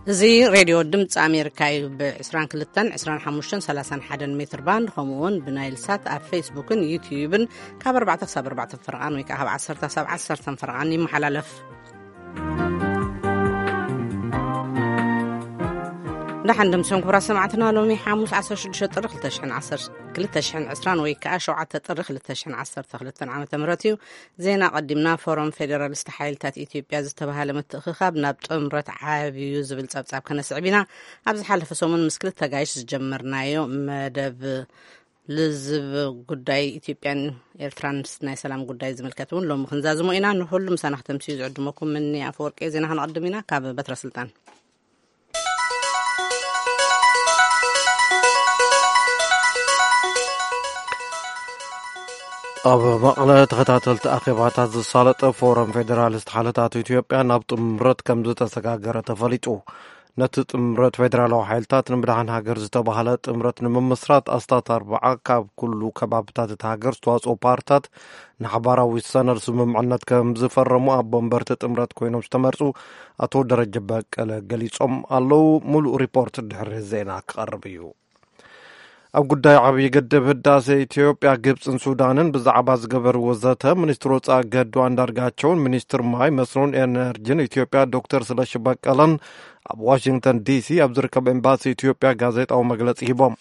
እዚ ሬድዮ ድምፂ ኣሜሪካ እዩ። ብ22፣ 25፣ 31 ሜትር ባንድ፣ ከምኡ እውን ብናይል ሳት ኣብ ፌስቡክን ዩትዩብን ካብ ኣርባዕተ ክሳብ ኣርባዕተ ፈረቓን ወይ ከዓ ካብ ዓሰርተ ክሳብ ዓሰርተ ፈረቓን ይመሓላለፍ። ደሓን ደምሲኦም ክቡራት ሰማዕትና፣ ሎሚ ሓሙስ ዓሰርተ ሽዱሽተ ጥሪ ክልተ ሽሕን ዓሰርተ፣ ክልተ ሽሕን ዕስራን ወይ ከዓ ሸውዓተ ጥሪ ክልተ ሽሕን ዓሰርተ ክልተን ዓመተ ምህረት እዩ። ዜና ቀዲምና። ፎረም ፌዴራሊስት ሓይልታት ኢትዮጵያ ዝተባሃለ ምትእኽኻብ ናብ ጥምረት ዓብዩ ዝብል ጸብጻብ ከነስዕብ ኢና። ኣብ ዝሓለፈ ሰሙን ምስ ክልተ ጋይሽ ዝጀመርናዮ መደብ ልዝብ ጉዳይ ኢትዮጵያን ኤርትራን ናይ ሰላም ጉዳይ ዝምልከት እውን ሎሚ ክንዛዝሞ ኢና። ንኹሉ ምሳና ክተምስዩ ዝዕድመኩም ምኒ ኣፈወርቂ። ዜና ክንቐድም ኢና ካብ በትረ ስልጣን። ኣብ መቐለ ተኸታተልቲ ኣኼባታት ዝሳለጠ ፎረም ፌዴራሊስት ሓይልታት ኢትዮጵያ ናብ ጥምረት ከም ዝተሰጋገረ ተፈሊጡ። ነቲ ጥምረት ፌዴራላዊ ሓይልታት ንምድሓን ሃገር ዝተባህለ ጥምረት ንምምስራት ኣስታት ኣርባዓ ካብ ኩሉ ከባብታት እታ ሃገር ዝተዋፅኦ ፓርትታት ንሓባራዊ ሰነድ ስምምዕነት ከም ዝፈረሙ ኣቦ ወንበርቲ ጥምረት ኮይኖም ዝተመርፁ ኣቶ ደረጀ በቀለ ገሊፆም ኣለዉ። ሙሉእ ሪፖርት ድሕሪ ዜና ክቐርብ እዩ። ኣብ ጉዳይ ዓብዪ ግድብ ህዳሴ ኢትዮጵያ፣ ግብፅን ሱዳንን ብዛዕባ ዝገበርዎ ዘተ፣ ሚኒስትር ወፃኢ ገዱ ኣንዳርጋቸውን ሚኒስትር ማይ መስኖን ኤነርጂን ኢትዮጵያ ዶክተር ስለሺ በቀለን ኣብ ዋሽንግተን ዲሲ ኣብ ዝርከብ ኤምባሲ ኢትዮጵያ ጋዜጣዊ መግለፂ ሂቦም።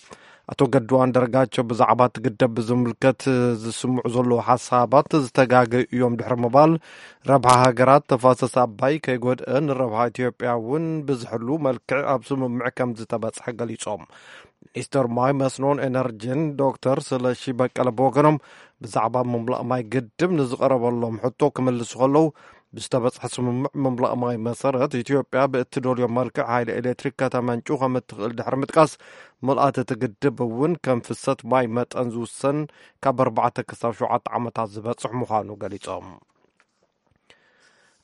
ኣቶ ገዱ ኣንዳርጋቸው ብዛዕባ እቲ ግድብ ብዝምልከት ዝስምዑ ዘለዉ ሓሳባት ዝተጋገዩ እዮም ድሕሪ ምባል፣ ረብሓ ሃገራት ተፋሰስ ኣባይ ከይጎድአ ንረብሓ ኢትዮጵያ እውን ብዝሕሉ መልክዕ ኣብ ስምምዕ ከም ዝተበፅሐ ገሊፆም። ሚኒስትር ማይ መስኖን ኤነርጂን ዶክተር ስለሺ በቀለ ብወገኖም ብዛዕባ ምምላእ ማይ ግድብ ንዝቐረበሎም ሕቶ ክምልሱ ከለዉ፣ ብዝተበፅሐ ስምምዕ ምምላእ ማይ መሰረት ኢትዮጵያ ብእትደልዮ መልክዕ ሓይሊ ኤሌክትሪክ ከተመንጩ ከም እትኽእል ድሕሪ ምጥቃስ፣ ምልኣት እቲ ግድብ እውን ከም ፍሰት ማይ መጠን ዝውሰን ካብ ኣርባዕተ ክሳብ ሸውዓተ ዓመታት ዝበፅሕ ምዃኑ ገሊፆም።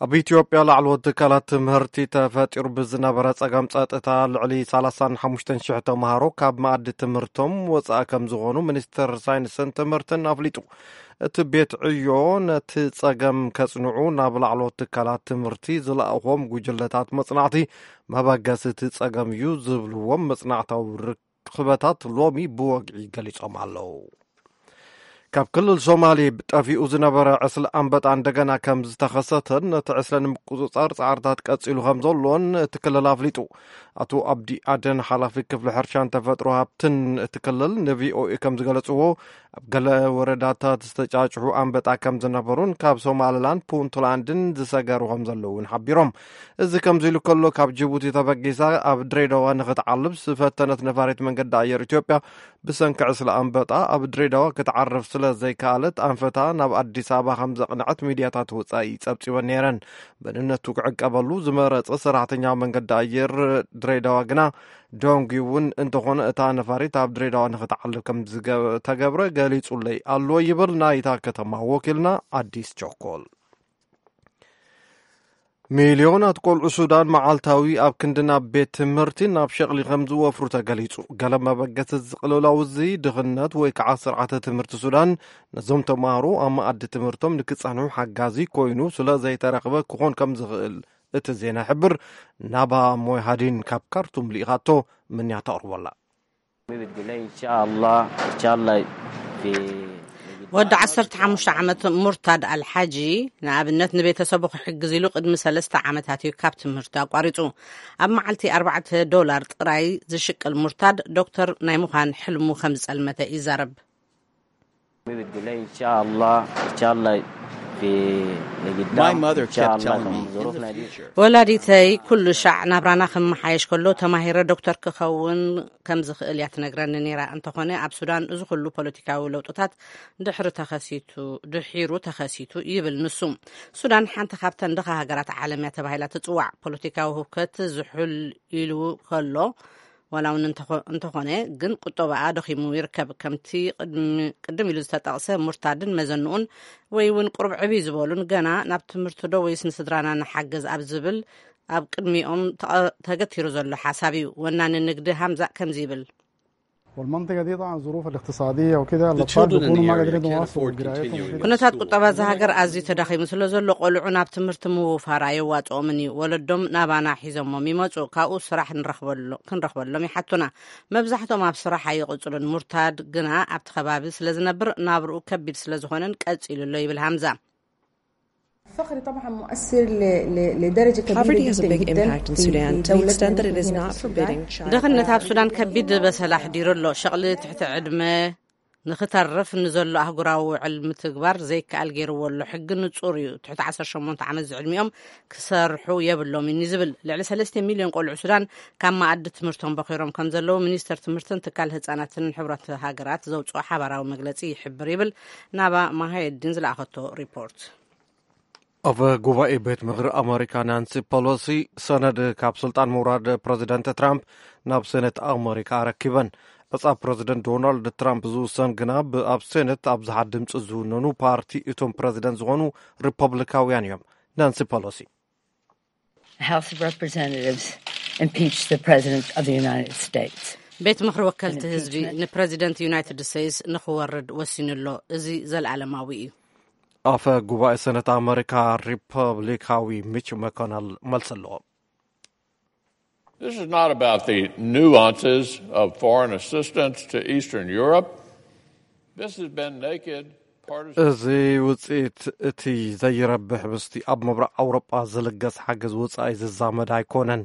ኣብ ኢትዮጵያ ላዕለዎት ትካላት ትምህርቲ ተፈጢሩ ብዝነበረ ጸገም ጸጥታ ልዕሊ ሰላሳን ሓሙሽተን ሽሕ ተምሃሮ ካብ መኣዲ ትምህርቶም ወጻኢ ከም ዝኾኑ ሚኒስትር ሳይንስን ትምህርትን ኣፍሊጡ። እቲ ቤት ዕዮ ነቲ ጸገም ከጽንዑ ናብ ላዕለዎት ትካላት ትምህርቲ ዝለኣኾም ጉጅለታት መጽናዕቲ መበገሲ እቲ ጸገም እዩ ዝብልዎም መጽናዕታዊ ርክበታት ሎሚ ብወግዒ ገሊጾም ኣለዉ። ካብ ክልል ሶማሌ ጠፊኡ ዝነበረ ዕስለ ኣንበጣ እንደገና ከም ዝተኸሰተን ነቲ ዕስለ ንምቁጽጻር ጻዕርታት ቀጺሉ ከም ዘሎን እቲ ክልል ኣፍሊጡ። ኣቶ ኣብዲ ኣደን ሓላፊ ክፍሊ ሕርሻን ተፈጥሮ ሃብትን እቲ ክልል ንቪኦኤ ከም ዝገለጽዎ፣ ኣብ ገለ ወረዳታት ዝተጫጭሑ ኣንበጣ ከም ዝነበሩን ካብ ሶማልላንድ ፑንትላንድን ዝሰገሩ ከም ዘለውን ሓቢሮም። እዚ ከምዚ ኢሉ ከሎ፣ ካብ ጅቡቲ ተበጊሳ ኣብ ድሬዳዋ ንኽትዓልብ ዝፈተነት ነፋሪት መንገዲ ኣየር ኢትዮጵያ ብሰንኪ ዕስለ ኣንበጣ ኣብ ድሬዳዋ ክትዓርፍ ስለ ዘይከኣለት ኣንፈታ ናብ ኣዲስ ኣበባ ከም ዘቕንዐት ሚድያታት ወጻኢ ጸብጺበን ነይረን። መንነቱ ክዕቀበሉ ዝመረጸ ሰራሕተኛ መንገዲ ኣየር ድሬዳዋ ግና፣ ዶንግ ዩ እውን እንተኾነ እታ ነፋሪት ኣብ ድሬዳዋ ንኽትዓልብ ከም ዝተገብረ ገሊጹለይ ኣሎ ይብል ናይታ ከተማ ወኪልና ኣዲስ ቸኮል። ሚልዮናት ቆልዑ ሱዳን መዓልታዊ ኣብ ክንዲ ናብ ቤት ትምህርቲ ናብ ሸቕሊ ከም ዝወፍሩ ተገሊጹ። ገለ መበገሲ እዚ ቅልውላው እዚ ድኽነት ወይ ከዓ ስርዓተ ትምህርቲ ሱዳን ነዞም ተምሃሮ ኣብ መኣዲ ትምህርቶም ንክጸንሑ ሓጋዚ ኮይኑ ስለ ዘይተረኽበ ክኾን ከም ዝኽእል እቲ ዜና ይሕብር። ናባ ሞይሃዲን ካብ ካርቱም ልኢኻቶ፣ ምንያ ተቕርቦላ። ወዲ ዓሰርተ ሓሙሽተ ዓመት ሙርታድ ኣልሓጂ፣ ንኣብነት ንቤተሰቡ ክሕግዝ ኢሉ ቅድሚ ሰለስተ ዓመታት እዩ ካብ ትምህርቲ ኣቋሪጹ። ኣብ መዓልቲ ኣርባዕተ ዶላር ጥራይ ዝሽቅል ሙርታድ፣ ዶክተር ናይ ምዃን ሕልሙ ከም ዝጸልመተ ይዛረብ። My mother kept telling me, "In the future." ወላዲተይ ኩሉ ሻዕ ናብራና ክመሓየሽ ከሎ ተማሂረ ዶክተር ክኸውን ከም ዝኽእል እያ ትነግረኒ ነይራ። እንተኾነ ኣብ ሱዳን እዚ ኩሉ ፖለቲካዊ ለውጥታት ድሕሪ ተኸሲቱ፣ ድሒሩ ተኸሲቱ ይብል ንሱ። ሱዳን ሓንቲ ካብተን ድኻ ሃገራት ዓለም እያ ተባሂላ ትጽዋዕ። ፖለቲካዊ ህውከት ዝሑል ኢሉ ከሎ፣ ዋላ እውን እንተኾ-፣ እንተኾነ ግን ቁጠባኣ ደኺሙ ይርከብ። ከምቲ ቅድሚ-፣ ቅድም ኢሉ ዝተጠቕሰ ሙርታድን መዘንኡን ወይ እውን ቁሩብ ዕብይ ዝበሉን ገና ናብ ትምህርቲ ዶ ወይስ ንስድራና ንሓግዝ ኣብ ዝብል ኣብ ቅድሚኦም ተቐ-፣ ተገቲሩ ዘሎ ሓሳብ እዩ። ወናኒ ንግዲ ሃምዛ ከምዚ ይብል። والمنطقة دي طبعًا الظروف الاقتصادية وكده، الأطفال بيكونوا ما قادرين يواصلوا قرايتهم وكده. ኩነታት ቁጠባ እዛ ሃገር ኣዝዩ ተዳኺሙ ስለ ዘሎ፣ ቆልዑ ናብ ትምህርቲ ምውፋር ኣየዋጽኦምን እዩ። ወለዶም ናባና ሒዞሞም ይመጹ፣ ካብኡ ስራሕ ንረኽበሎ-፣ ክንረኽበሎም ይሓቱና። መብዛሕትኦም ኣብ ስራሕ ኣይቕጽሉን። ሙርታድ ግና ኣብቲ ከባቢ ስለ ዝነብር፣ ናብርኡ ከቢድ ስለ ዝኾነን ቀጺሉ ኣሎ ይብል ሃምዛ። الفقر طبعًا مؤثر ل-، ل-، لدرجة كبيرة Poverty has a جدًا big جدًا impact in في، Sudan في to the دولتنا extent that it is نحن not هنا في السودان. Forbidding child ድኽነት ኣብ ሱዳን ከቢድ በሰላ ኣሕዲሩ ኣሎ። ሸቕሊ ትሕቲ ዕድመ ንኽተርፍ ንዘሎ ኣህጉራዊ ውዕል ምትግባር ዘይከኣል ገይርዎ ኣሎ። ሕጊ ንጹር እዩ። ትሕቲ ዓሰርተ ሸሞንተ ዓመት ዝዕድሚኦም ክሰርሑ የብሎም እዩ ዝብል። ልዕሊ ሰለስተ ሚልዮን ቆልዑ ሱዳን ካብ መኣዲ ትምህርቶም በኺሮም ከም ዘለዉ ሚኒስተር ትምህርትን ትካል ህጻናትን ሕብረት ሃገራት ዘውጽኦ ሓባራዊ መግለጺ ይሕብር ይብል ናባ ማሃየዲን ዝለኣኸቶ ሪፖርት። ኣፈ ጉባኤ ቤት ምኽሪ ኣመሪካ ናንሲ ፐሎሲ ሰነድ ካብ ስልጣን ምውራድ ፕረዚደንት ትራምፕ ናብ ሴኔት ኣመሪካ ኣረኪበን። ዕጻ ፕረዚደንት ዶናልድ ትራምፕ ዝውሰን ግና ብኣብ ሴኔት ኣብዝሓ ድምፂ ዝውነኑ ፓርቲ እቶም ፕረዚደንት ዝኾኑ ሪፐብሊካውያን እዮም። ናንሲ ፐሎሲ። The House of Representatives impeached the President of the United States. ቤት ምኽሪ ወከልቲ ህዝቢ ንፕረዚደንት ዩናይትድ ስቴትስ ንኽወርድ ወሲኑ ኣሎ። እዚ ዘለኣለማዊ እዩ። ኣፈ ጉባኤ ሰነት ኣመሪካ ሪፐብሊካዊ ሚች መኮነል መልሲ ኣለዎ። This is not about the nuances of foreign assistance to Eastern Europe. This has been naked partisan. እዚ ውፅኢት እቲ ዘይረብሕ ምስቲ ኣብ ምብራቕ ኣውሮጳ ዝልገስ ሓገዝ ወፃኢ ዝዛመድ ኣይኮነን።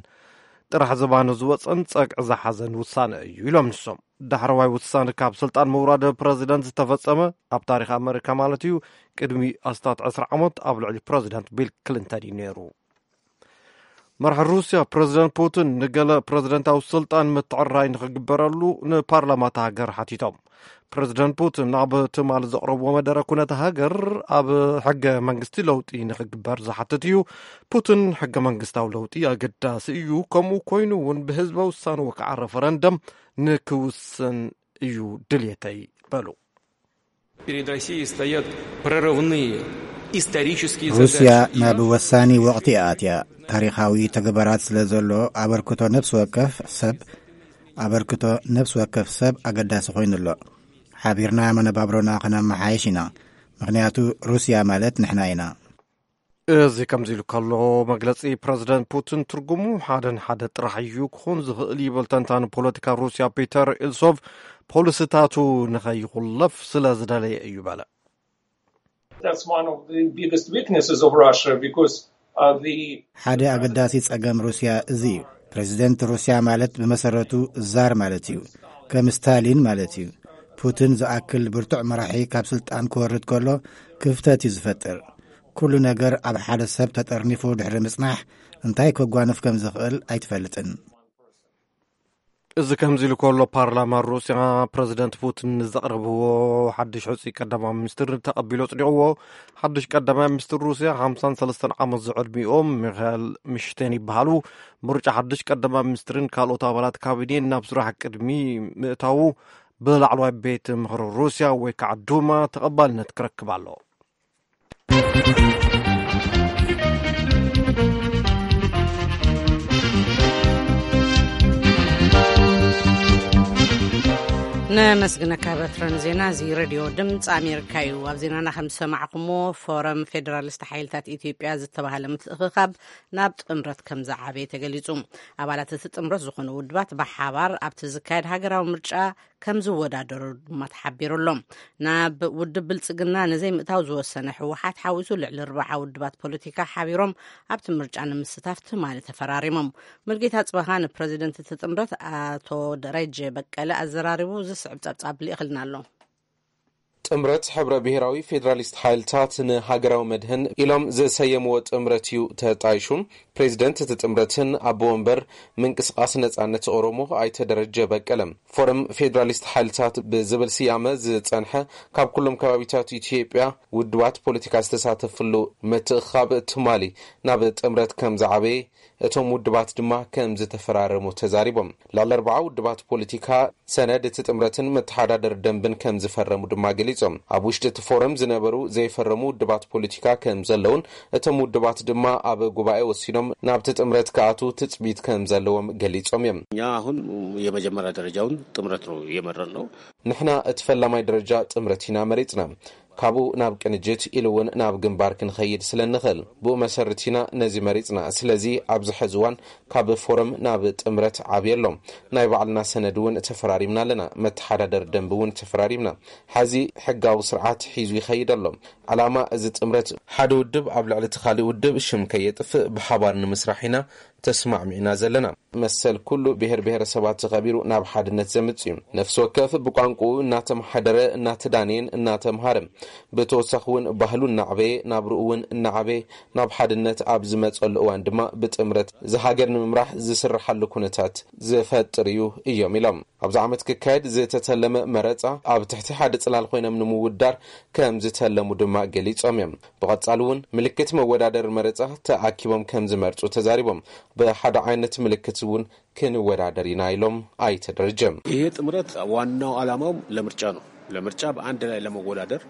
ጥራሕ ዝባኑ ዝወፀን ፀግዒ ዝሓዘን ውሳነ እዩ ኢሎም ንሶም። ዳሕረዋይ ውሳነ ካብ ስልጣን ምውራድ ፕረዚደንት ዝተፈፀመ ኣብ ታሪክ ኣመሪካ ማለት እዩ፣ ቅድሚ ኣስታት ዕስራ ዓመት ኣብ ልዕሊ ፕረዚደንት ቢል ክሊንተን እዩ ነይሩ። መራሒ ሩስያ ፕረዚደንት ፑቲን ንገለ ፕረዚደንታዊ ስልጣን ምትዕራይ ንክግበረሉ ንፓርላማ እታ ሃገር ሓቲቶም። ፕረዚደንት ፑቲን ኣብ ትማሊ ዘቕረብዎ መደረ ኩነታ ሃገር ኣብ ሕገ መንግስቲ ለውጢ ንክግበር ዝሓትት እዩ። ፑቲን ሕገ መንግስታዊ ለውጢ ኣገዳሲ እዩ፣ ከምኡ ኮይኑ እውን ብህዝበ ውሳነ ወይ ከዓ ረፈረንደም ንክውስን እዩ ድልየተይ በሉ። Перед Россией стоят прорывные исторические задачи. ሩስያ ናብ ወሳኒ ወቕቲ እያ ኣትያ። ታሪኻዊ ተግባራት ስለ ዘሎ ኣበርክቶ ነፍሲ ወከፍ ሰብ ኣበርክቶ ነፍሲ ወከፍ ሰብ ኣገዳሲ ኮይኑ ኣሎ። ሓቢርና መነባብሮና ክነመሓየሽ ኢና። ምኽንያቱ ሩስያ ማለት ንሕና ኢና። እዚ ከምዚ ኢሉ ከሎ፣ መግለጺ ፕረዚደንት ፑቲን ትርጉሙ ሓደ ንሓደ ጥራሕ እዩ ክኾን ዝኽእል ይብል ተንታኒ ፖለቲካ ሩስያ ፒተር ኢልሶቭ፣ ፖሊሲታቱ ንኸይኹለፍ ስለ ዝደለየ እዩ በለ። That's one of the biggest weaknesses of Russia because, uh, the ሓደ ኣገዳሲ ጸገም ሩስያ እዚ እዩ። ፕረዚደንት ሩስያ ማለት ብመሰረቱ ዛር ማለት እዩ። ከም ስታሊን ማለት እዩ። ፑቲን ዝኣክል ብርቱዕ መራሒ ካብ ስልጣን ክወርድ ከሎ ክፍተት እዩ ዝፈጥር። ኩሉ ነገር ኣብ ሓደ ሰብ ተጠርኒፉ ድሕሪ ምጽናሕ እንታይ ከጓንፍ ከም ዝኽእል ኣይትፈልጥን። እዚ ከምዚ ኢሉ ከሎ፣ ፓርላማ ሩስያ ፕረዚደንት ፑቲን ንዘቕረብዎ ሓድሽ ሕጹይ ቀዳማይ ሚኒስትር ተቐቢሉ ኣጽዲቕዎ። ሓድሽ ቀዳማይ ሚኒስትር ሩስያ ሓምሳን ሰለስተን ዓመት ዝዕድሚኦም ሚኻኤል ሚሽቴን ይበሃሉ። ምርጫ ሓድሽ ቀዳማይ ሚኒስትርን ካልኦት ኣባላት ካቢኔን ናብ ስራሕ ቅድሚ ምእታዉ ብላዕለዋይ ቤት ምኽሪ ሩስያ ወይ ከዓ ዱማ ተቐባልነት ክረክብ ኣሎ። ነመስግነካ በትረን። ዜና እዚ ሬድዮ ድምፂ ኣሜሪካ እዩ። ኣብ ዜናና ከም ዝሰማዕኩምዎ፣ ፎረም ፌዴራሊስት ሓይልታት ኢትዮጵያ ዝተባሃለ ምትእኽኻብ ናብ ጥምረት ከም ዝዓበየ ተገሊጹ። ኣባላት እቲ ጥምረት ዝኾኑ ውድባት ብሓባር ኣብቲ ዝካየድ ሃገራዊ ምርጫ ከም ዝወዳደሩ ድማ ተሓቢሩ ኣሎ። ናብ ውድብ ብልጽግና ንዘይምእታው ዝወሰነ ህወሓት ሓዊሱ ልዕሊ ርብዓ ውድባት ፖለቲካ ሓቢሮም ኣብቲ ምርጫ ንምስታፍ ትማሊ ተፈራሪሞም። ሙልጌታ ጽበኻ ንፕረዚደንት እቲ ጥምረት ኣቶ ደረጀ በቀለ ኣዘራሪቡ ዝስዕብ ጸብጻብ ልኢኽልና ኣሎ። ጥምረት ሕብረ ብሔራዊ ፌዴራሊስት ሓይልታት ንሃገራዊ መድህን ኢሎም ዝሰየምዎ ጥምረት እዩ ተጣይሹ። ፕሬዚደንት እቲ ጥምረትን ኣቦ ወንበር ምንቅስቃስ ነጻነት ኦሮሞ ኣይተ ደረጀ በቀለ፣ ፎረም ፌዴራሊስት ሓይልታት ብዝብል ስያመ ዝጸንሐ፣ ካብ ኩሎም ከባቢታት ኢትዮጵያ ውድባት ፖለቲካ ዝተሳተፍሉ ምትእኽኻብ ትማሊ ናብ ጥምረት ከም ዝዓበየ እቶም ውድባት ድማ ከም ዝተፈራረሙ ተዛሪቦም። ልዕሊ ኣርብዓ ውድባት ፖለቲካ ሰነድ እቲ ጥምረትን መተሓዳደሪ ደንብን ከም ዝፈረሙ ድማ ገሊጾም። ገሊጾም። ኣብ ውሽጢ እቲ ፎረም ዝነበሩ ዘይፈረሙ ውድባት ፖለቲካ ከም ዘለውን እቶም ውድባት ድማ ኣብ ጉባኤ ወሲኖም ናብቲ ጥምረት ክኣትዉ ትጽቢት ከም ዘለዎም ገሊጾም እዮም። እኛ አሁን የመጀመሪያ ደረጃውን ጥምረት ነው የመረጥነው። ንሕና እቲ ፈላማይ ደረጃ ጥምረት ኢና መሪጽና። ካብኡ ናብ ቅንጅት ኢሉ እውን ናብ ግንባር ክንኸይድ ስለ እንኽእል፣ ብኡ መሰረት ኢና ነዚ መሪጽና። ስለዚ ኣብዚ ሕዚ እዋን ካብ ፎረም ናብ ጥምረት ዓብዩ ኣሎ። ናይ ባዕልና ሰነድ እውን ተፈራሪምና ኣለና። መተሓዳደሪ ደንቢ እውን ተፈራሪምና። ሕዚ ሕጋዊ ስርዓት ሒዙ ይኸይድ ኣሎ። ዓላማ እዚ ጥምረት ሓደ ውድብ ኣብ ልዕሊ እቲ ካልእ ውድብ ሽም ከየጥፍእ ብሓባር ንምስራሕ ኢና ተስማዕሚዕና ዘለና። መሰል ኩሉ ብሔር ብሔረሰባት ተኸቢሩ ናብ ሓድነት ዘምጽእ እዩ። ነፍሲ ወከፍ ብቋንቋኡ እናተመሓደረ፣ እናተዳነየን እናተምሃረ፣ ብተወሳኺ እውን ባህሉ እናዕበየ፣ ናብርኡ እውን እናዓበየ፣ ናብ ሓድነት ኣብ ዝመጸሉ እዋን ድማ ብጥምረት ዝሃገር ንምምራሕ ዝስርሓሉ ኩነታት ዝፈጥር እዩ እዮም ኢሎም። ኣብዚ ዓመት ክካየድ ዝተተለመ መረጻ ኣብ ትሕቲ ሓደ ጽላል ኮይኖም ንምውዳር ከም ዝተለሙ ድማ ገሊጾም እዮም። ብቐጻሊ እውን ምልክት መወዳደሪ መረጻ ተኣኪቦም ከም ዝመርጹ ተዛሪቦም። ብሓደ ዓይነት ምልክት እውን ክንወዳደር ኢና ኢሎም ኣይተ ደረጀ። ይሄ ጥምረት ዋናው ዓላማው ለምርጫ ነው። ለምርጫ በአንድ ላይ ለመወዳደር።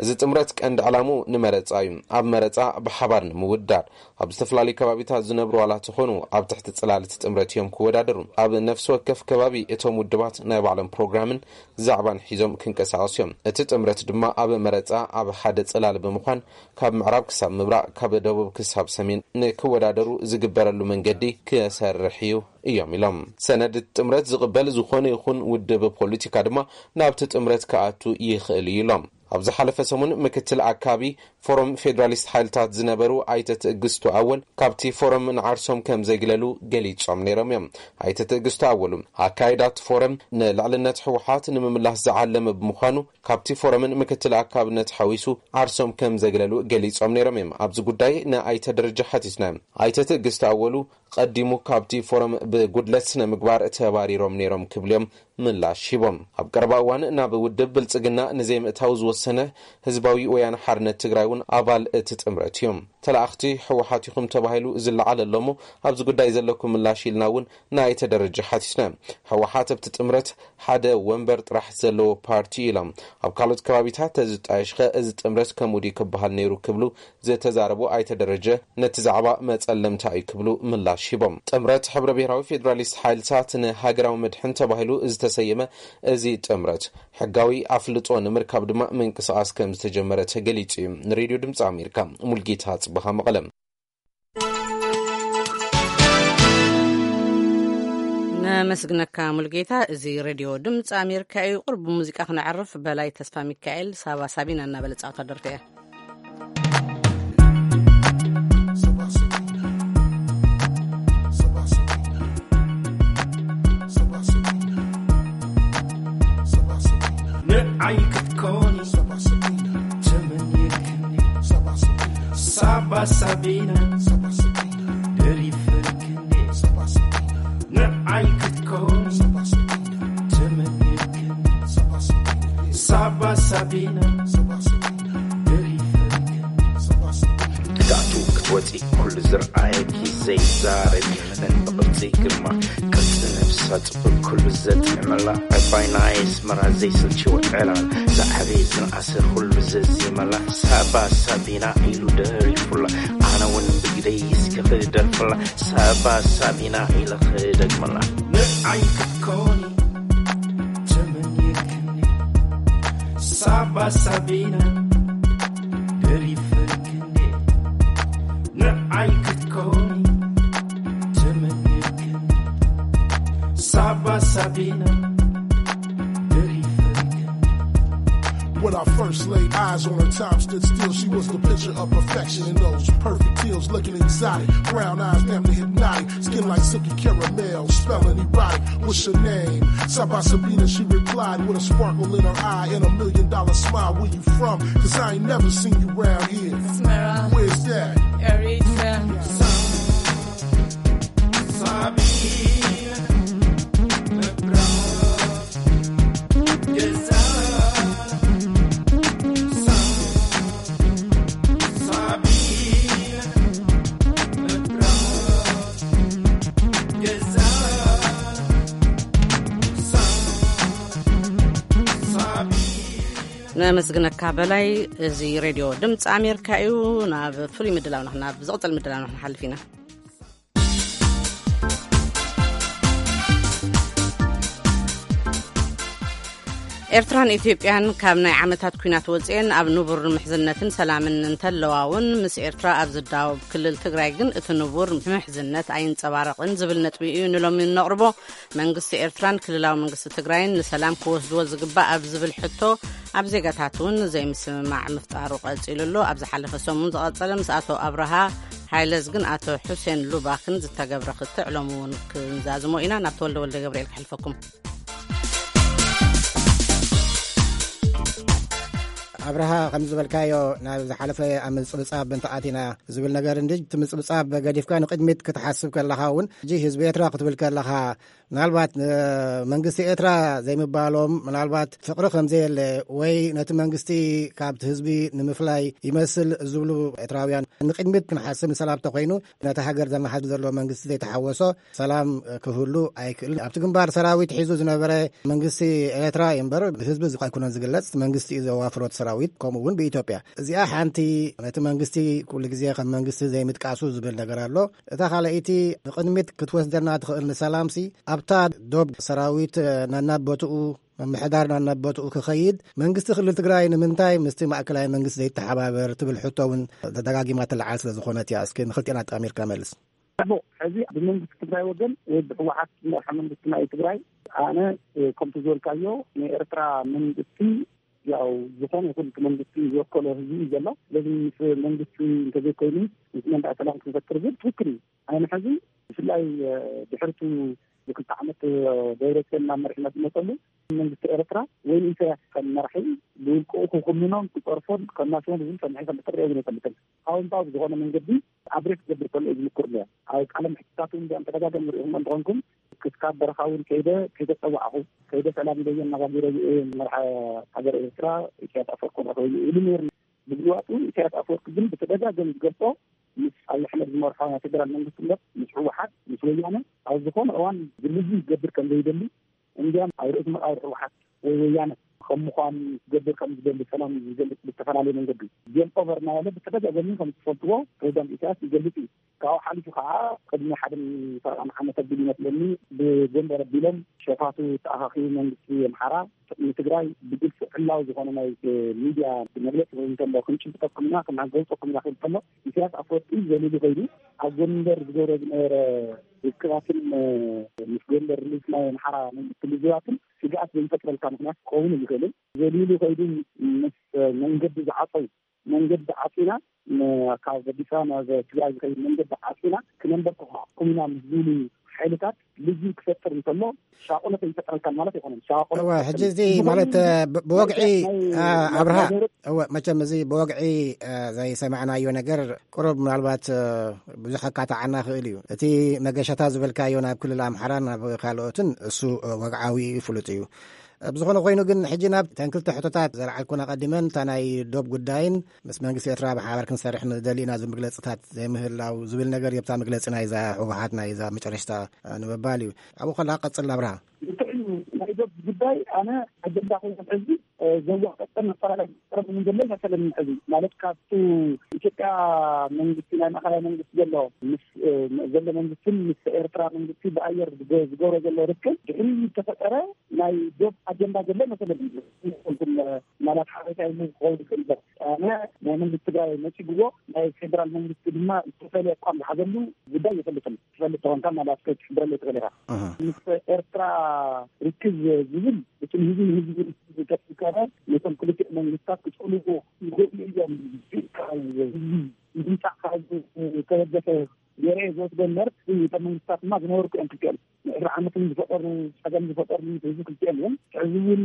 እዚ ጥምረት ቀንዲ ዕላምኡ ንመረጻ እዩ። ኣብ መረጻ ብሓባር ንምውዳር ኣብ ዝተፈላለዩ ከባቢታት ዝነብሩ ዋላ ተኾኑ ኣብ ትሕቲ ጽላል እቲ ጥምረት እዮም ክወዳደሩ። ኣብ ነፍሲ ወከፍ ከባቢ እቶም ውድባት ናይ ባዕሎም ፕሮግራምን ዛዕባን ሒዞም ክንቀሳቐሱ እዮም። እቲ ጥምረት ድማ ኣብ መረጻ ኣብ ሓደ ጽላል ብምዃን ካብ ምዕራብ ክሳብ ምብራቕ ካብ ደቡብ ክሳብ ሰሜን ንክወዳደሩ ዝግበረሉ መንገዲ ክሰርሕ እዩ እዮም ኢሎም። ሰነድ እቲ ጥምረት ዝቕበል ዝኾነ ይኹን ውድብ ፖለቲካ ድማ ናብቲ ጥምረት ክኣቱ ይኽእል እዩ ኢሎም። ኣብ ዝሓለፈ ሰሙን ምክትል ኣካቢ ፎረም ፌዴራሊስት ሓይልታት ዝነበሩ ኣይተ ትዕግስቱ ኣወል ካብቲ ፎረም ንዓርሶም ከም ዘግለሉ ገሊጾም ነይሮም እዮም። ኣይተ ትዕግስቱ ኣወሉ ኣካይዳት ፎረም ንልዕልነት ህወሓት ንምምላስ ዝዓለመ ብምዃኑ ካብቲ ፎረምን ምክትል ኣካብነት ሓዊሱ ዓርሶም ከም ዘግለሉ ገሊጾም ነይሮም እዮም። ኣብዚ ጉዳይ ንኣይተ ደረጃ ሓቲትና። ኣይተ ትዕግስቱ ኣወሉ ቀዲሙ ካብቲ ፎረም ብጉድለት ስነ ምግባር ተባሪሮም ነይሮም ክብሉ እዮም ምላሽ ሂቦም። ኣብ ቀረባ እዋን ናብ ውድብ ብልጽግና ንዘይምእታው ዝወሰነ ህዝባዊ ወያነ ሓርነት ትግራይ እውን ኣባል እቲ ጥምረት እዮም። ተላእኽቲ ህወሓት ኢኹም ተባሂሉ ዝለዓል ኣሎ እሞ ኣብዚ ጉዳይ ዘለኩም ምላሽ ኢልና እውን ንኣይተ ደረጀ ሓቲትና። ህወሓት ኣብቲ ጥምረት ሓደ ወንበር ጥራሕ ዘለዎ ፓርቲ ኢሎም። ኣብ ካልኦት ከባቢታት ተዝጣየሽኸ እዚ ጥምረት ከምኡ ድዩ ክበሃል ነይሩ ክብሉ ዝተዛረቡ ኣይተ ደረጀ ነቲ ዛዕባ መጸለምታ እዩ ክብሉ ምላሽ ሂቦም። ጥምረት ሕብረ ብሔራዊ ፌዴራሊስት ሓይልታት ንሃገራዊ መድሕን ተባሂሉ ዝተሰየመ እዚ ጥምረት ሕጋዊ ኣፍልጦ ንምርካብ ድማ ምንቅስቓስ ከም ዝተጀመረ ተገሊጹ እዩ። ንሬድዮ ድምፂ ኣሜሪካ ሙልጌታ ጽበኻ መቐለ። ነመስግነካ ሙልጌታ። እዚ ሬድዮ ድምፂ ኣሜሪካ እዩ። ቁርብ ሙዚቃ ክነዕርፍ በላይ ተስፋ ሚካኤል ሳባ ሳቢና እናበለ ጻውታ ደርፊ እያ። ንዓይ ክትኮኒ ተመንየክኒ ሳባ ሳቢና ደሪፈልክኒ ንዓይ ክትኮኒ ተመንየክኒ ሳባ ሳቢና ደሪፈልክኒ ክትኣትዉ ክትወፂ ኩሉ ዝረኣየኪ ዘይዛረብ የለን ብቕርፂ ግርማ ቅርፂ ነብሳ ፅቡቅ ኩሉ ዘጥዕመላ ዕባይ ናይ ኣስመራ ዘይስልችዎ ዕላል ዝዓበየ ዝነኣሰ ኩሉ ዘዚመላ ሳባ ሳቢና ኢሉ ደሪፉላ ኣነ እውን ብግደይ እስከ ክደርፍላ ሳባ ሳቢና ኢለ ክደግመላ ንዓይ ክትኮኒ ተመንየክኒ ሳባ ሳቢና ደሪፈልክኒ ንዓይ ክትኮኒ ተመንየክኒ ሳባ ሳቢና ደሪፈልክኒ When I first laid eyes on her, time stood still. She was the picture of perfection in those perfect heels, looking exotic. Brown eyes, damn near hypnotic. Skin like silky caramel, smelling erotic. What's your name? Saba Sabina, she replied with a sparkle in her eye and a million dollar smile. Where you from? Cause I ain't never seen you round here. Smera. Where's that? Eritrea. ነመስግነካ በላይ። እዚ ሬድዮ ድምፂ ኣሜሪካ እዩ። ናብ ፍሉይ ምድላው ንክና ብዝቕፅል ምድላው ንክንሓልፍ ኢና። ኤርትራን ኢትዮጵያን ካብ ናይ ዓመታት ኲናት ወፅኤን ኣብ ንቡር ምሕዝነትን ሰላምን እንተለዋ እውን፣ ምስ ኤርትራ ኣብ ዝዳወብ ክልል ትግራይ ግን እቲ ንቡር ምሕዝነት ኣይንፀባረቕን ዝብል ነጥቢ እዩ ንሎሚ እነቕርቦ። መንግስቲ ኤርትራን ክልላዊ መንግስቲ ትግራይን ንሰላም ክወስድዎ ዝግባእ ኣብ ዝብል ሕቶ፣ ኣብ ዜጋታት እውን ዘይምስምማዕ ምፍጣሩ ቀፂሉ ኣሎ። ኣብ ዝሓለፈ ሰሙን ዝቐፀለ ምስ ኣቶ ኣብርሃ ሃይለዝግን ኣቶ ሑሴን ሉባክን ዝተገብረ ክትዕ ሎሚ እውን ክንዛዝሞ ኢና። ናብ ተወልደ ወልደ ገብርኤል ክሕልፈኩም። ኣብርሃ፣ ከም ዝበልካዮ፣ ናብ ዝሓለፈ ኣብ ምጽብጻብ እንተኣቲና ዝብል ነገር እንጂ፣ እቲ ምጽብጻብ ገዲፍካ ንቕድሚት ክትሓስብ ከለኻ እውን፣ ሕጂ ህዝቢ ኤርትራ ክትብል ከለኻ፣ ምናልባት ንመንግስቲ ኤርትራ ዘይምባሎም፣ ምናልባት ፍቕሪ ከም ዘየለ፣ ወይ ነቲ መንግስቲ ካብቲ ህዝቢ ንምፍላይ ይመስል ዝብሉ ኤርትራውያን፣ ንቕድሚት ክንሓስብ፣ ንሰላም ተኾይኑ፣ ነቲ ሃገር ዘመሓድር ዘሎ መንግስቲ ዘይተሓወሶ ሰላም ክህሉ ኣይክእልን። ኣብቲ ግንባር ሰራዊት ሒዙ ዝነበረ መንግስቲ ኤርትራ እዩ እምበር፣ ብህዝቢ እዚ ኣይኮነን ዝግለጽ፣ መንግስቲ እዩ ዘዋፍሮ እቲ ሰራዊት፣ ከምኡ እውን ብኢትዮጵያ። እዚኣ ሓንቲ ነቲ መንግስቲ ኩሉ ግዜ ከም መንግስቲ ዘይምጥቃሱ ዝብል ነገር ኣሎ። እታ ካልኣይቲ ንቕድሚት ክትወስደና ትኽእል ንሰላምሲ፣ ኣብታ ዶብ ሰራዊት ናናብ ቦትኡ፣ ምምሕዳር ናናብ ቦትኡ ክኸይድ፣ መንግስቲ ክልል ትግራይ ንምንታይ ምስቲ ማእከላይ መንግስቲ ዘይተሓባበር ትብል ሕቶ እውን ተደጋጊማ ትለዓል ስለ ዝኾነት እያ። እስኪ ንክልቲኣን ኣጣሚርካ መልስ። ጽቡቕ። ሕዚ ብመንግስቲ ትግራይ ወገን ወይ ብህወሓት ዝመርሖ መንግስቲ ናይ ትግራይ፣ ኣነ፣ እ፣ ከምቲ ዝበልካዮ፣ ናይ ኤርትራ መንግስቲ፣ ያው፣ ዝኾነ ይኹን እቲ መንግስቲ ዝወከሎ ህዝቢ እዩ ዘሎ። ስለዚ ምስ መንግስቲ እንተዘይኮይኑ ምስ መን ደኣ ሰላም ክንፈጥር ዝብል ትክክል እዩ። ኣነ ሕዚ ብፍላይ፣ እ፣ ድሕሪቱ ንክልተ ዓመት፣ እ፣ ደብረጽዮን ናብ መሪሕነት ዝመጸሉ መንግስቲ ኤርትራ ወይ ንኢሳያስ ከም መራሒ ብውልቅኡ ክኹንኖን ክጸርፎን ከናስቦን ዝብል ሰሚዐ ከም ተሪኦ ግን ኣይፈልጥን። ኣዎንታዊ ብዝኾነ መንገዲ ኣድሬስ ክገብር ከሎ እዩ ዝምኩር ነይሩ። ኣብ ቃለ መሕትታቱ እውን ብኣን ተደጋጋሚ ርኢኹም እንተኾንኩም፣ ክስካብ በረኻ እውን ከይደ ከይተጸዋዕኹ፣ ከይደ ሰላም ኢለዮ ኣነጋጊረዮ እየ መርሓ ሃገር ኤርትራ ኢሳያስ ኣፈወርቂ ክረኽበሉ ኢሉ ነይሩ። ብዝዋጡ ኢሳያስ ኣፈወርቂ ግን ብተደጋጋሚ ዝገልጾ፣ ምስ ኣብዪ ኣሕመድ ዝመርሖ ናይ ፌደራል መንግስቲ እምበር ምስ ህወሓት፣ ምስ ወያነ ኣብ ዝኾነ እዋን ዝልዩ ክገብር ከም ዘይደሊ፣ እንዲያም ኣብ ርእሲ መቃብር ህወሓት ወይ ወያነ ከም ምዃኑ ክገብር ከም ዝደሊ ሰላም ዝገልጽ ብዝተፈላለየ መንገዲ ጌም ኦቨር እናበለ ብተደጋጋሚ ከም ዝፈልጥዎ ፕሬዚዳንት ኢሳያስ ይገልጽ እዩ። ካብኡ ሓሊፉ ከዓ ቅድሚ ሓደ ሰብዓን ዓመት ኣቢሉ ይመስለኒ ብጎንደር ኣቢሎም ሸፋቱ ተኣኻኺቡ መንግስቲ ኣምሓራ ንትግራይ ብግልፂ ዕላዊ ዝኾነ ናይ ሚድያ መግለፂ ክህብ እንተሎ ክንጭብጠኩም ኢና፣ ክንገውፀኩም ኢና ክብል ከሎ ኢሳያስ ኣፈወርቂ ዘሊሉ ከይዱ ኣብ ጎንደር ዝገብሮ ዝነበረ ርክባትን፣ እ፣ ምስ ጎንደር ሪሊፍ ናይ ኣምሓራ መንግስቲ ልዝባትን ስግኣት ዘይፈጥረልካ ምኽንያት ክኸውን ይኽእልን ዘሊሉ ከይዱ ምስ መንገዲ ዝዓፀው መንገዲ ዓፂና፣ ን-፣ ካብ ኣዲስ ኣበባ ናብ ትግራይ ዝኸይድ መንገዲ ዓፂና ክነንበርክኸኩም ኢና ምስ ዝብሉ ሓይልታት ልዝብ ክፈጥር እንከሎ ሻቆለት ኣይፈጥረልካን ማለት ኣይኮነን። ሻቆለት እወ፣ ሕጂ እዚ ማለት፣ እ፣ ብ-፣ ብወግዒ፣ ናይ፣ እ፣ ናይ፣ ኣብርሃ፣ ናይ፣ እወ፣ መቸም እዚ ብወግዒ፣ እ፣ ዘይሰማዕናዮ ነገር ቁሩብ ምናልባት፣ እ፣ ብዙሕ ከካትዓና ክእል እዩ። እቲ መገሻታ ዝበልካዮ ናብ ክልል ኣምሓራን ናብ ካልኦትን እሱ፣ እ፣ ወግዓዊ እዩ፣ ፍሉጥ እዩ። እ፣ ብዝኾነ ኮይኑ ግን ሕጂ ናብ ተን ክልተ ሕቶታት ዘልዓልኩን ኣቐዲመን፣ እታ ናይ ዶብ ጉዳይን ምስ መንግስቲ ኤርትራ ብሓባር ክንሰርሕ ንደሊ ኢና ዝብል መግለጽታት ዘይምህላው ዝብል ነገር እዩ። ኣብታ መግለጺ ናይዛ ህወሓት ናይዛ መጨረሽታ፣ እ፣ ንምባል እዩ። ኣብኡ ከለኻ ቀጽል ኣብርሃ። ብትዕሊ ናይ ዶብ ጉዳይ ኣነ ኣጀንዳ ኮይኑ ሕዚ፣ እ፣ ዘዋቀጠን ኣፈላላይ ቀረብ ምን ዘሎ ይመሰለኒ። ሕዚ ማለት ካብቱ ኢትዮጵያ መንግስቲ ናይ ማእኸላይ መንግስቲ ዘሎ ምስ፣ እ፣ ዘሎ መንግስትን ምስ ኤርትራ መንግስቲ ብኣየር ዝገ-፣ ዝገብሮ ዘሎ ርክብ ድሕሪ ዝተፈጠረ ናይ ዶብ ኣጀንዳ ዘሎ መሰለኒ። ይኹን፣ እ፣ ማለት ሓበሬታ ኢሉ ክኸውን ይኽእል ይበል። ኣነ ናይ መንግስቲ ትግራይ ነፂግዎ ናይ ፌደራል መንግስቲ ድማ ዝተፈለየ ኣቋም ዝሓዘሉ ጉዳይ ይፈልጥን። ትፈልጥ ተኾንካ ማለት ከይትሕብረለይ ትኽእል ኢኻ። ኣሃ። ምስ ኤርትራ ርክብ ዝብል እቲ ንህዝቢ ንህዝቢ ዝተፍከረ ነቶም ክልቲኦም መንግስታት ክጸልዎ ይኽእሉ እዮም። ካብ ህዝቢ ንምምጻእ ካብ ዝተበገሰ ገይረ ዝወስዶ እምበር፣ እቶም መንግስታት ድማ ዝነበሩ እዮም ክልቲኦም። ንዕስራ ዓመት እውን ዝፈጠሩ፣ ጸገም ዝፈጠሩ ህዝቢ ክልቲኦም እዮም። ሕዚ እውን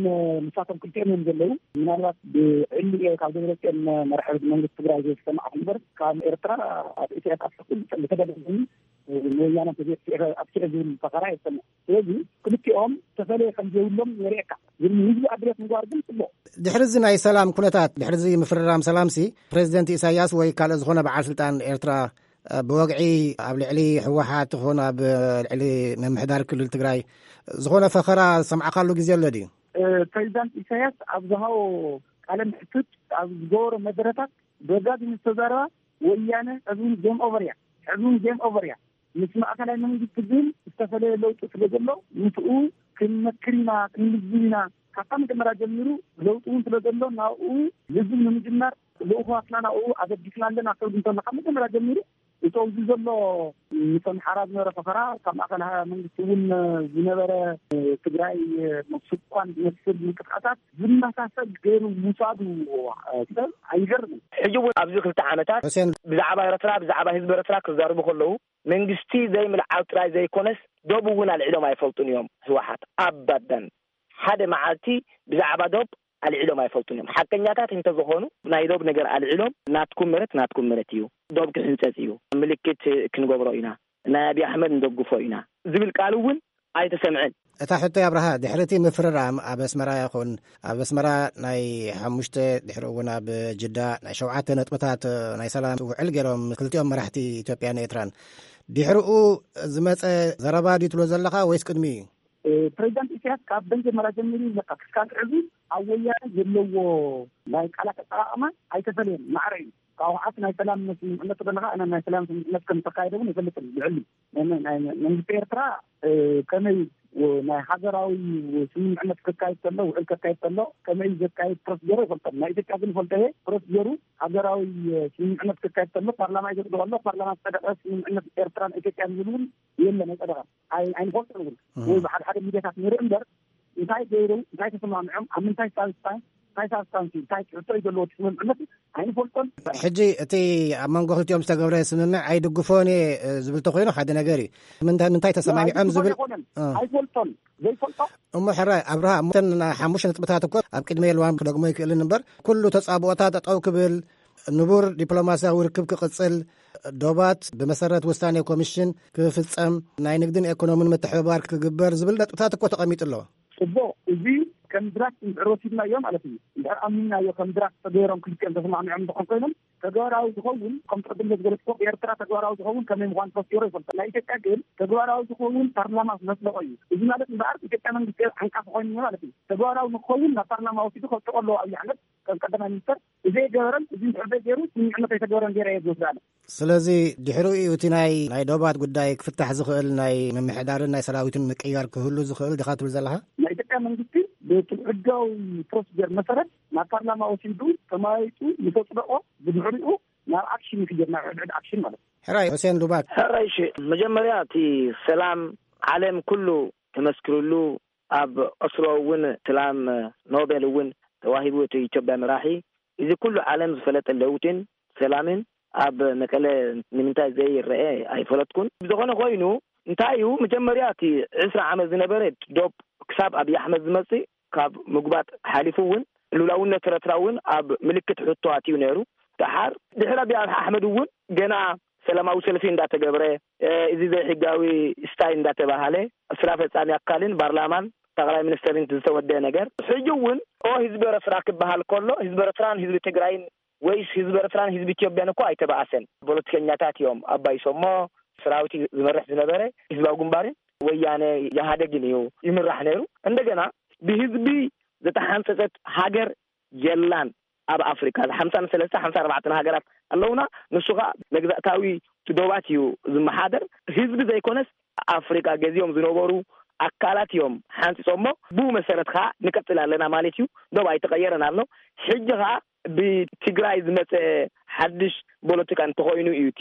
ንሳቶም ክልቲኦም እዮም ዘለዉ። ምናልባት ብዕሊ እየ ካብ ደብረጽዮን መራሒ መንግስቲ ትግራይ ዘይተሰማዕኩ እምበር፣ ካብ ኤርትራ ኣብ ኢሳያስ ኣፈወርቂ ብተደጋጋሚ ንወያነ ተዘይጥፊኤ ኣብኪዐ ዝብል ፈኸራ የሰምዕ። ስለዚ ክልቲኦም ተፈለየ ከም ዘይብሎም የርእየካ። ግን ንህዝቢ ኣድሬስ ምግባር ግን ጽቡቕ። ድሕሪ እዚ ናይ ሰላም ኩነታት፣ ድሕሪ እዚ ምፍርራም ሰላምሲ፣ ፕሬዚደንት ኢሳያስ ወይ ካልእ ዝኾነ በዓል ስልጣን ኤርትራ፣ እ፣ ብወግዒ ኣብ ልዕሊ ህወሓት ይኹን ኣብ ልዕሊ ምምሕዳር ክልል ትግራይ ዝኾነ ፈኸራ ዝሰማዕካሉ ግዜ ኣሎ ድዩ? እ፣ ፕሬዚዳንት ኢሳያስ ኣብ ዝሃቦ ቃለ መሕትት ኣብ ዝገበሮ መደረታት ደጋጊሙ ዝተዛረባ፣ ወያነ ሕዚ እውን ጌም ኦቨር እያ። ሕዚ እውን ጌም ኦቨር እያ። ምስ ማእከላይ መንግስቲ ግን ዝተፈለየ ለውጢ ስለ ዘሎ፣ ምስኡ ክንመክር ኢና፣ ክንልዝብ ኢና። ካብታ መጀመርያ ጀሚሩ ለውጢ እውን ስለ ዘሎ፣ ናብኡ ልዝብ ንምጅማር ልኡኻትና ናብኡ ኣበጊስና ኣለና። ሰብ እንተሎ ካብ መጀመርያ ጀሚሩ እቲ ኣብዚ ዘሎ ምስ ኣምሓራ ዝነበረ ፈኸራ፣ ካብ ማእከል መንግስቲ እውን ዝነበረ ትግራይ ምስኳን ዝመስል ምንቅስቃሳት ዝመሳሰል ገይሩ ምውሳዱ ሰብ ኣይገርምን። ሕጂ እውን ኣብዚ ክልተ ዓመታት፣ ሑሴን፣ ብዛዕባ ኤርትራ፣ ብዛዕባ ህዝቢ ኤርትራ ክዛረቡ ከለዉ፣ መንግስቲ ዘይምልዓል ጥራይ ዘይኮነስ፣ ዶብ እውን ኣልዒሎም ኣይፈልጡን እዮም። ህወሓት ኣባዳን ሓደ መዓልቲ ብዛዕባ ዶብ ኣልዒሎም ኣይፈልጡን እዮም። ሓቀኛታት እንተዝኾኑ፣ ናይ ዶብ ነገር ኣልዒሎም፣ ናትኩም መሬት ናትኩም መሬት እዩ፣ ዶብ ክሕንጸጽ እዩ፣ ምልክት ክንገብሮ ኢና፣ ናይ ኣብይ ኣሕመድ ንደግፎ ኢና ዝብል ቃል እውን ኣይተሰምዐን። እታ ሕቶ ኣብርሃ፣ ድሕሪ እቲ ምፍርራም ኣብ ኣስመራ ይኹን፣ ኣብ ኣስመራ ናይ ሓሙሽተ፣ ድሕሪ እውን ኣብ ጅዳ ናይ ሸውዓተ ነጥብታት ናይ ሰላም ውዕል ገይሮም ክልቲኦም መራሕቲ ኢትዮጵያን ኤርትራን፣ ድሕሪኡ ዝመጸ ዘረባ ድዩ ትብሎ ዘለኻ ወይስ ቅድሚኡ እዩ? እ፣ ፕሬዚዳንት ኢሳያስ ካብ መጀመርያ ጀሚሩ ይብለካ፣ ክሳብ ሕዚ ኣብ ወያነ ዘለዎ ናይ ቃላት ኣጠቓቕማ ኣይተፈለየን፣ ማዕረ እዩ። ካብ ህወሓት ናይ ሰላም ስምምዕነት ከለኻ፣ ኣነ ናይ ሰላም ስምምዕነት ከም ዝተካየደ እውን ይፈልጥ እዩ። ልዕሊ ናይ፣ ናይ መንግስቲ ኤርትራ፣ እ፣ ከመይ ናይ ሃገራዊ ስምምዕነት ክካየድ ከሎ፣ ውዕል ክካየድ ከሎ፣ ከመይ ዘካየድ ፕሮሲጀር ይፈልጦም። ናይ ኢትዮጵያ ግን ይፈልጦ እየ። ፕሮሲጀሩ ሃገራዊ ስምምዕነት ክካየድ ከሎ፣ ፓርላማ ይዘጽድቆ ኣሎ። ፓርላማ ዝጸደቐ ስምምዕነት ኤርትራን ኢትዮጵያን ዝብል እውን የለን፣ ኣይጸደቐን። ኣይ-፣ ኣይንፈልጦን እውን። እህ። ወይ ብሓደ ሓደ ሚድያታት ንርኢ እምበር፣ እንታይ ገይሩ፣ እንታይ ተሰማሚዖም፣ ኣብ ምንታይ ሳብስታንስ፣ እንታይ ሳብስታንስ እዩ፣ እንታይ ትሕቶ እዩ ዘለዎ እቲ ስምምዕነት ኣይንፈልጦን። ሕጂ እቲ ኣብ መንጎ ክልቲኦም ዝተገብረ ስምምዕ ኣይድግፎን እየ፣ እ፣ ዝብል ተኾይኑ ሓደ ነገር እዩ። ምንታይ፣ ምንታይ ተሰማሚዖም ዝብል ኣይድግፎን ኣይኮነን፣ እ። ኣይፈልጦን። ዘይፈልጦ እሞ ሕራይ ኣብርሃ፣ እሞ እተን ሓሙሽተ ነጥብታት እኮ ኣብ ቅድመ የልዋን ክደግሞ ይክእልን እምበር፣ ኩሉ ተጻብኦታት ጠጠው ክብል፣ ንቡር ዲፕሎማስያዊ ርክብ ክቕጽል፣ ዶባት ብመሰረት ውሳኔ ኮሚሽን ክፍጸም፣ ናይ ንግድን ኤኮኖምን ምትሕብባር ክግበር ዝብል ነጥብታት እኮ ተቐሚጡ ኣሎ። ጽቡቕ፣ እዚ ከም ድራፍት እንድሕር ወሲድናዮ ማለት እዩ። እንድሕር ኣሚንናዮ ከም ድራፍት ተገይሮም ክልቲኦም ተሰማሚዖም እንተኾን ኮይኖም ተግባራዊ ዝኸውን፣ ከም ቅድም ዝበለትኮ ብኤርትራ ተግባራዊ ዝኸውን ከመይ ምዃኑ ተፈሲሩ ይፈልጦ። ናይ ኢትዮጵያ ግን ተግባራዊ ዝኸውን ፓርላማ ስለ ዝለቆ እዩ። እዚ ማለት እምበኣር ኢትዮጵያ መንግስቲ ዓንቃፊ ኮይኑ ማለት እዩ። ተግባራዊ ንክኸውን ናብ ፓርላማ ወሲዱ ከውጥቆ ኣለዎ ኣብይ ኣሕመድ ከም ቀዳማይ ሚኒስተር። እዚ ኣይገበረን፣ እዚ እንድሕር ዘይገይሩ ስምምዕነት ኣይተገበረን ገይረ እየ ዝወስድ ኣነ። ስለዚ ድሕሪኡ እዩ እቲ ናይ፣ ናይ ዶባት ጉዳይ ክፍታሕ ዝኽእል ናይ ምምሕዳርን ናይ ሰራዊትን ምቅያር ክህሉ ዝኽእል ዲኻ ትብል ዘለኻ? ናይ ኢትዮጵያ መንግስቲ በቲ ሕጋዊ ፕሮሲጀር መሰረት ናብ ፓርላማ ወሲዱ ተመያይጡ ምስ ኣጽደቆ ብድሕሪኡ ናብ ኣክሽን ይኽየድ፣ ናብ ሕድሕድ ኣክሽን ማለት እዩ። ሕራይ፣ ሑሴን ዱባክ። ሕራይ፣ እሺ፣ መጀመርያ እቲ ሰላም ዓለም ኩሉ ተመስክርሉ፣ ኣብ ኦስሎ እውን ሰላም ኖቤል እውን ተዋሂቡ፣ እቲ ኢትዮጵያ መራሒ። እዚ ኩሉ ዓለም ዝፈለጠ ለውጥን ሰላምን ኣብ መቀለ ንምንታይ ዘይረአ ኣይፈለጥኩን። ብዝኾነ ኮይኑ፣ እንታይ እዩ፣ መጀመርያ እቲ ዕስራ ዓመት ዝነበረ ዶብ ክሳብ ኣብይ ኣሕመድ ዝመጽእ፣ ካብ ምጉባጥ ሓሊፉ እውን ልኡላውነት ኤርትራ እውን ኣብ ምልክት ሕቶ ኣትዩ ነይሩ። ደሓር ድሕሪ ኣብይ ኣሕመድ እውን ገና ሰላማዊ ሰልፊ እንዳተገብረ፣ እ፣ እዚ ዘይሕጋዊ ስታይ እንዳተባሃለ፣ ስራ ፈጻሚ ኣካልን ፓርላማን ጠቕላይ ሚኒስተርን ዝተወደአ ነገር፣ ሕጂ እውን ኦ ህዝቢ ኤርትራ ክበሃል ከሎ፣ ህዝቢ ኤርትራን ህዝቢ ትግራይን ወይስ ህዝቢ ኤርትራን ህዝቢ ኢትዮጵያን እኮ ኣይተባኣሰን። ፖለቲከኛታት እዮም። ኣባይ ሰሞ፣ ሰራዊት ዝመርሕ ዝነበረ ህዝባዊ ግንባርን ወያነ ኢህኣደግን እዩ ይምራሕ ነይሩ። እንደገና ብህዝቢ ዝተሓንጸጸት ሃገር የላን ኣብ ኣፍሪካ። ሓምሳን ሰለስተ፣ ሓምሳ ኣርባዕተን ሃገራት ኣለውና። ንሱ ኸኣ መግዛእታዊ ዶባት እዩ ዝመሓደር። ህዝቢ ዘይኮነስ ኣፍሪካ ገዚኦም ዝነበሩ ኣካላት እዮም ሓንጺጾሞ። ብኡ መሰረት ኸኣ ንቀጽል ኣለና ማለት እዩ። ዶብ ኣይተቐየረን ኣሎ። ሕጂ ኸኣ ብትግራይ ዝመጸ ሓድሽ ፖለቲካ እንተኾይኑ እዩ እቲ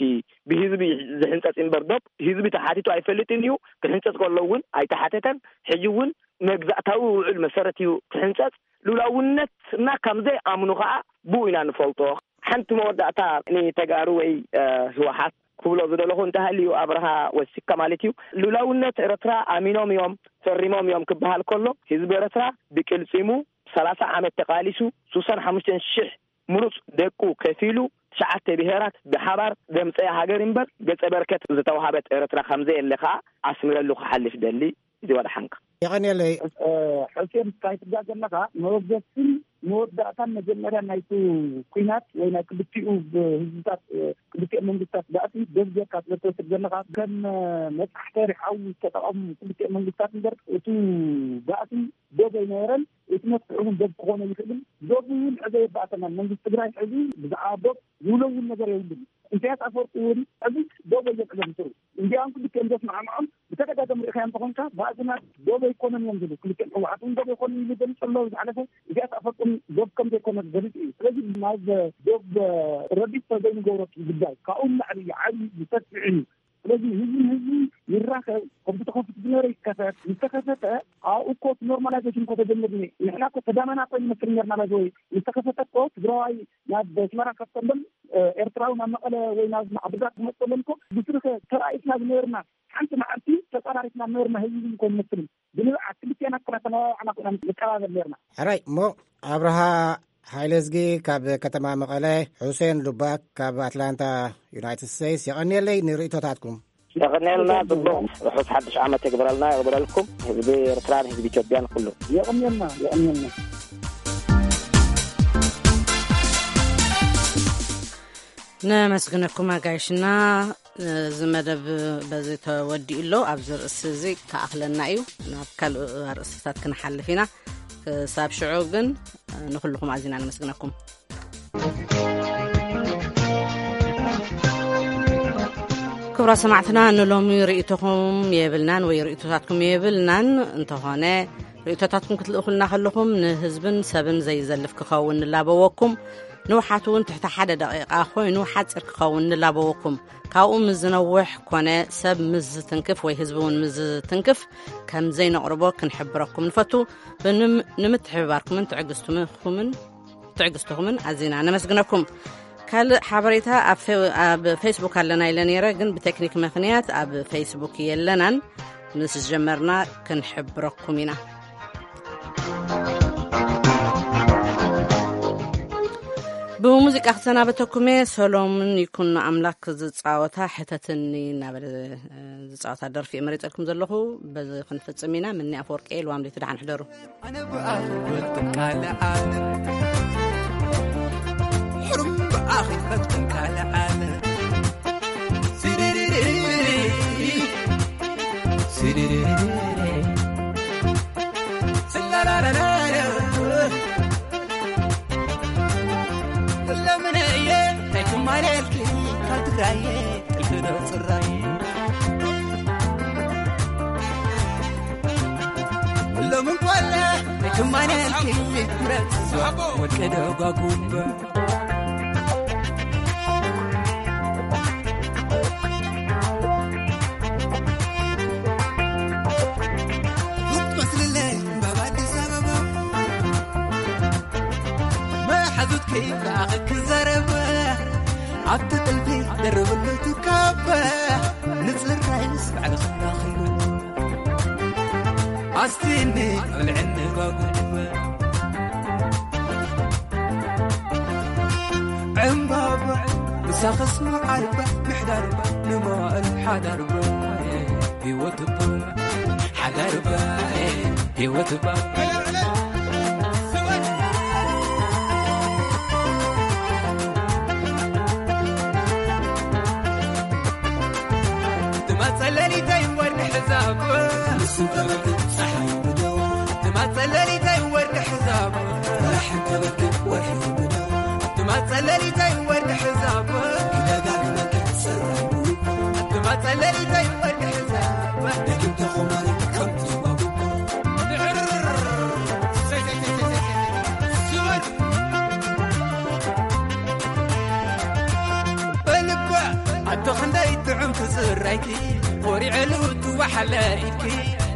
ብህዝቢ ዝሕንጸጽ እምበር፣ ዶብ ህዝቢ ተሓቲቱ ኣይፈልጥን እዩ። ክሕንጸጽ ከሎ እውን ኣይተሓተተን። ሕጂ እውን መግዛእታዊ ውዕል መሰረት እዩ ክሕንጸጽ። ልኡላውነትና ከም ዘይኣምኑ ኸኣ ብኡ ኢና ንፈልጦ። ሓንቲ መወዳእታ ንተጋሩ ወይ፣ እ፣ ህወሓት ክብሎ ዝደለኹ እንተሃልዩ፣ ኣብርሃ ወሲካ ማለት እዩ፣ ልኡላውነት ኤርትራ ኣሚኖም እዮም፣ ፈሪሞም እዮም ክበሃል ከሎ፣ ህዝቢ ኤርትራ ብቅልጺሙ ሰላሳ ዓመት ተቃሊሱ፣ ስሳን ሓሙሽተን ሽሕ ምሩጽ ደቁ ከፊሉ፣ ትሽዓተ ብሄራት ብሓባር ዘምጸያ ሃገር እምበር፣ ገጸ በረከት ዝተዋሃበት ኤርትራ ከም ዘየለ ከኣ ኣስምረሉ ክሓልፍ ደሊ። እዚ ወድሓንካ። የቐንየለይ። እ፣ ሕሴን፣ እንታይ ትብላ ዘለኻ? መበገስን መወዳእታን መጀመርያ ናይቲ ኲናት ወይ ናይ ክልቲኡ ብ-፣ ህዝብታት፣ እ፣ ክልቲኦም መንግስታት ባእሲ ዶብ ጌርካ ስለ ትወስድ ዘለኻ፣ ከም፣ እ፣ መብጻሕተሪ ሓዊ ዝተጠቐሙ ክልቲኦም መንግስታት እምበር፣ እቲ ባእሲ ዶብ ኣይነበረን። መፍትሒ እውን ዶብ ክኾነ ይኽእልን፣ ዶብ እውን ዕዘ የባእሰናል። መንግስቲ ትግራይ ሕዚ ብዛዕባ ዶብ ዝውለውል ነገር የብሉን። ኢሳያስ ኣፈወርቂ እውን ሕዚ ዶብ የብዕሎም ስሩ። እንዲያውም ክልቲኦም ዘስማዕምዖም ብተደጋጋሚ ርኢኻዮም እንተኾንካ፣ ባእስና ዶብ ኣይኮነን እዮም ዝብሉ። ክልቲኦም ህወሓት እውን ዶብ ኣይኮነን ይብሉ ገሊጹ ኣሎ። ዝሓለፈ ኢሳያስ ኣፈወርቂ እውን ዶብ ከም ዘይኮነ ገሊጹ እዩ። ስለዚ ናብ ዶብ ረዲት ተዘይንገብረቱ ጉዳይ ካብኡ ንላዕሊ እዩ፣ ዓብዪ እዩ፣ ሰፊሕ እዩ። ስለዚ ህዝቢ ህዝቢ ይራኸብ፣ ከምቲ ተኸፊቱ ዝነበረ ይከፈት። ምስ ተኸፈተ ኣብኡ እኮ እቲ ኖርማላይዜሽን እኮ ተጀሚሩ እኒአ። ንሕና እኮ ተዳመና እኮ ይመስል ነርና። ባይዘወይ ምስ ተኸፈተ እኮ ትግራዋይ ናብ ኣስመራ ከፍተሎም፣ ኤርትራዊ ናብ መቐለ ወይ ናብ ዓዲግራት ክመፀሎም እኮ ብስርኸ ተራኢስና ዝነበርና ሓንቲ መዓልቲ ተፀራሪፍና ነበርና። ህዝቢ ህዝቢ እኮ ይመስል ብንብዓት ክልቲኣና እኮ ተመባባዕና እኮ ኢና ንቀባበል ነርና። ሕራይ እሞ ኣብርሃ ሓይለዝጊ ካብ ከተማ መቐለ፣ ሑሴን ሉባክ ካብ ኣትላንታ ዩናይትድ ስቴትስ፣ የቐንየለይ ንርእይቶታትኩም። የቐንየልና፣ ጽቡቕ ርሑስ ሓድሽ ዓመት የግብረልና፣ የግብረልኩም፣ ህዝቢ ኤርትራን ህዝቢ ኢትዮጵያን ኩሉ። የቐንየልና፣ የቐንየልና። ነመስግነኩም ኣጋይሽና። እዚ መደብ በዚ ተወዲኡ ኣሎ። ኣብዚ ርእሲ እዚ ክኣኽለና እዩ። ናብ ካልእ ኣርእስታት ክንሓልፍ ኢና። ክሳብ ሽዑ ግን ንኹልኹም ኣዚና ነመስግነኩም። ክቡራት ሰማዕትና፣ ንሎሚ ርእይቶኹም የብልናን ወይ ርእይቶታትኩም የብልናን። እንተኾነ ርእይቶታትኩም ክትልእኹልና ከለኹም ንህዝብን ሰብን ዘይዘልፍ ክኸውን ንላበወኩም። ንውሓት እውን ትሕቲ ሓደ ደቂቓ ኮይኑ ሓጺር ክኸውን ንላበወኩም። ካብኡ ምስ ዝነውሕ ኮነ ሰብ ምስ ዝትንክፍ ወይ ህዝቢ እውን ምስ ዝትንክፍ ከም ዘይነቕርቦ ክንሕብረኩም ንፈቱ። ብንም-፣ ንምትሕብባርኩምን ትዕግስትኹምን፣ ትዕግስትኹምን ኣዚና ነመስግነኩም። ካልእ ሓበሬታ ኣብ ፌ-፣ ኣብ ፌስቡክ ኣለና ኢለ ነይረ፣ ግን ብቴክኒክ ምኽንያት ኣብ ፌስቡክ የለናን። ምስ ጀመርና ክንሕብረኩም ኢና። ብሙዚቃ ክሰናበተኩም እየ። ሰሎሙን ይኩኖ ኣምላክ ዝጻወታ ሕተትኒ እናበለ ዝጻወታ ደርፊ እየ መሪጸልኩም ዘለኹ። በዚ ክንፍጽም ኢና። ምኒ ኣፈወርቂ እየ። ልዋም ለይቲ ደሓን ሕደሩ። ኣነ ብኣኺ ክወጥን ካልእ ዓለም፣ ሕሩም ብኣኺ ክወጥን ካልእ ዓለም። ሲሪሪሪ፣ ሲሪሪሪ፣ ስላላላላላ። ለምን እየ ኣይትማለልኪ ካብ ትግራየ ጥልፊ ዶ ጽራይ? ሎምን ጓለ ትማነልኪ ብረት ወርቂ ዶ ጓጉበ? ሩቅ ትመስልለይ እምባብ ኣዲስ ኣበባ፣ መሓዙትኪ ብኣኺ ክዛረብ ኣብቲ ጥልፊ ደርብሉ ትካበ። ንጽራይስ ባዕልኺ ዳኺሉ ኣስቲኒ ኣብልዕኒ ጓጉበ። ዕምባባ ምሳኽስ መዓርበ ምሕዳርበ ንመዋእል ሓዳርበ ህይወትበ ሓዳርበ ህይወትበ። ትመጸ ሌሊተይ ወርሒ ሕዛብ፣ ንሱ ከበኪ ጸሓይ ብደዋ። ትመጸ ሌሊተይ ወርሒ ሕዛብ፣ ወርሒ ከበኪ ወርሒ ብደዋ። ትመጸ ሌሊተይ ወርሒ ሕዛብ፣ ይደጋግመኪ ጽራይ ብውባ። ትመጸ ሌሊተይ ወርሒ ሕዛብ፣ ደጊም ተኾማሪ ከምቲ ባቡባ። በልባ ኣቶ ክንደይ ጥዑም ትዝራይኪ፣ ኮሪዐሉ ትዋሓለ ኢድኪ፣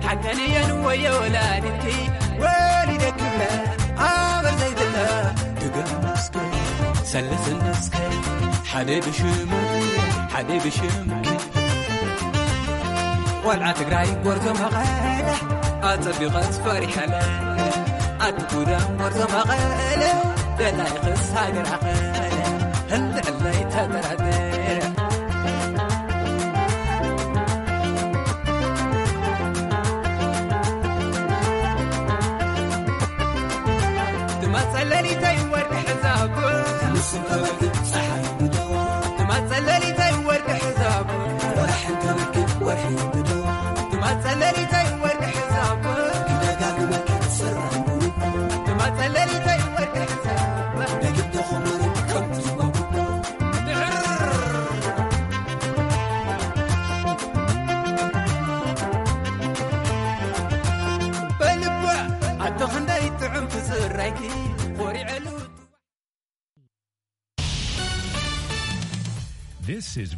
ሓቀንየን ወየ ወላዲትኪ፣ ወሊደ ክብለ ኣበር ዘይብለ ድገም እስከ፣ ሰልስን እስከ፣ ሓደ ብሽሙ፣ ሓደ ብሽምኪ። ቆልዓ ትግራይ ጎርዞ መቐለ፣ ኣጸቢቐስ ፈሪሐለ። ኣቲ ጉዳም ጎርዞ መቐለ፣ ደላይኽስ ሃገር ኣቐለ፣ ህልዕለይ ተጠራጠረ። ትመጸ ሌሊተይ ወርሒ ሕዛብ፣ ንሱ ከበኪ ጸሓይ ብደዋ። ትመጸ ሌሊተይ ወርሒ ሕዛብ፣ ወርሒ ከበኪ ወርሒ ብደዋ። ትመጸ ሌሊተይ ወርሒ ሕዛብ፣ ክደጋግመኪ ጽራይ ብውባ። This is